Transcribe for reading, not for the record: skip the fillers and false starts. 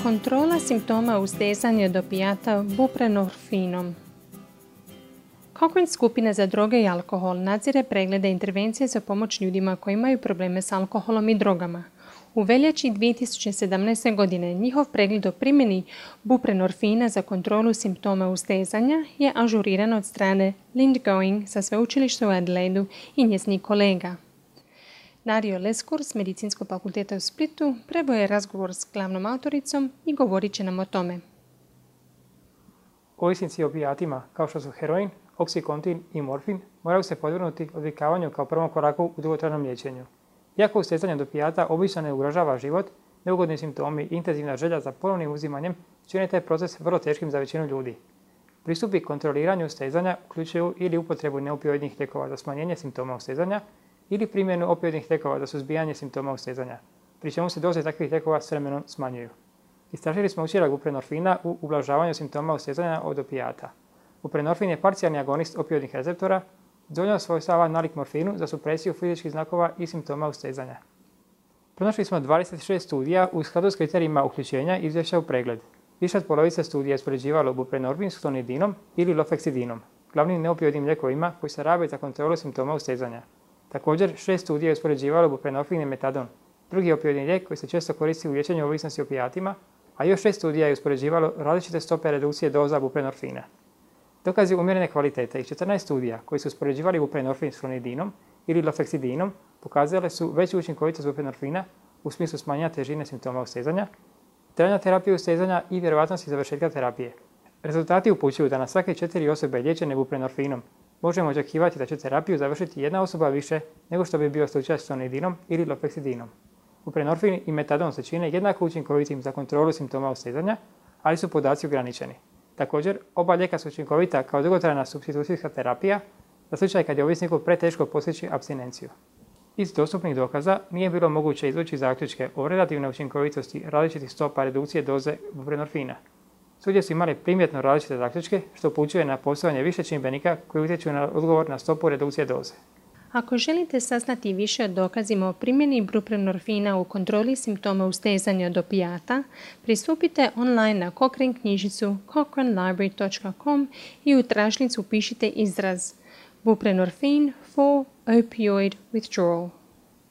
Kontrola simptoma ustezanja od opijata buprenorfinom. Cochrane skupina za droge i alkohol nadzire preglede i intervencije za pomoć ljudima koji imaju probleme s alkoholom i drogama. U veljači 2017. godine njihov pregled o primjeni buprenorfina za kontrolu simptoma ustezanja je ažuriran od strane Linda Going sa sveučilišta u Adelaidu i njezinih kolega. Dario Leskur s Medicinskog fakulteta u Splitu preveo je razgovor s glavnom autoricom i govorit će nam o tome. Ovisnici o opijatima, kao što su heroin, oksikontin i morfin, moraju se podvrgnuti odvikavanju kao prvom koraku u dugotrajnom liječenju. Iako ustezanje od opijata obično ne ugrožava život, neugodni simptomi i intenzivna želja za ponovnim uzimanjem čine taj proces vrlo teškim za većinu ljudi. Pristupi kontroliranju ustezanja uključuju ili upotrebu neopioidnih lijekova za smanjenje simptoma ustezanja ili primjenu opioidnih lijekova za suzbijanje simptoma ustezanja, pri čemu se doze takvih lijekova s vremenom smanjuju. Istražili smo učinak buprenorfina u ublažavanju simptoma ustezanja od opijata. Buprenorfin je parcijalni agonist opioidnih receptora, dovoljno svojstava nalik morfinu za supresiju fizičkih znakova i simptoma ustezanja. Pronašli smo 26 studija u skladu s kriterijima uključenja i izvješća u pregled. Više od polovice studija je uspoređivalo buprenorfin s klonidinom ili lofeksidinom, glavnim neopioidnim lijekovima koji se rabe za kontrolu simptoma ustezanja. Također, 6 studija je uspoređivalo buprenorfin i metadon, drugi opioidni lijek koji se često koristi u liječenju ovisnosti o opijatima, a još 6 studija je uspoređivalo različite stope redukcije doza buprenorfina. Dokazi umjerene kvalitete i 14 studija koji su uspoređivali buprenorfin s klonidinom ili lofeksidinom pokazale su veću učinkovitost buprenorfina u smislu smanjenja težine simptoma ustezanja, trajanja terapije ustezanja i vjerovatnosti završetka terapije. Rezultati upućuju da na svake 4 osobe liječene buprenorfinom možemo očekivati da će terapiju završiti jedna osoba više nego što bi bio slučaj s klonidinom ili lofeksidinom. Buprenorfin i metadon se čine jednako učinkovitim za kontrolu simptoma ustezanja, ali su podaci ograničeni. Također, oba lijeka su učinkovita kao dugotrajna supstitucijska terapija za slučaj kad je ovisniku preteško postići apstinenciju. Iz dostupnih dokaza nije bilo moguće izvući zaključke o relativnoj učinkovitosti različitih stopa redukcije doze buprenorfina. Studije su imali primjetno različite zaključke, što upućuje na postojanje više čimbenika koji utječu na odgovor na stopu redukcije doze. Ako želite saznati više o dokazima o primjeni buprenorfina u kontroli simptoma ustezanja od opijata, pristupite online na Cochrane knjižnicu cochranelibrary.com i u tražnicu pišite izraz buprenorfin for opioid withdrawal.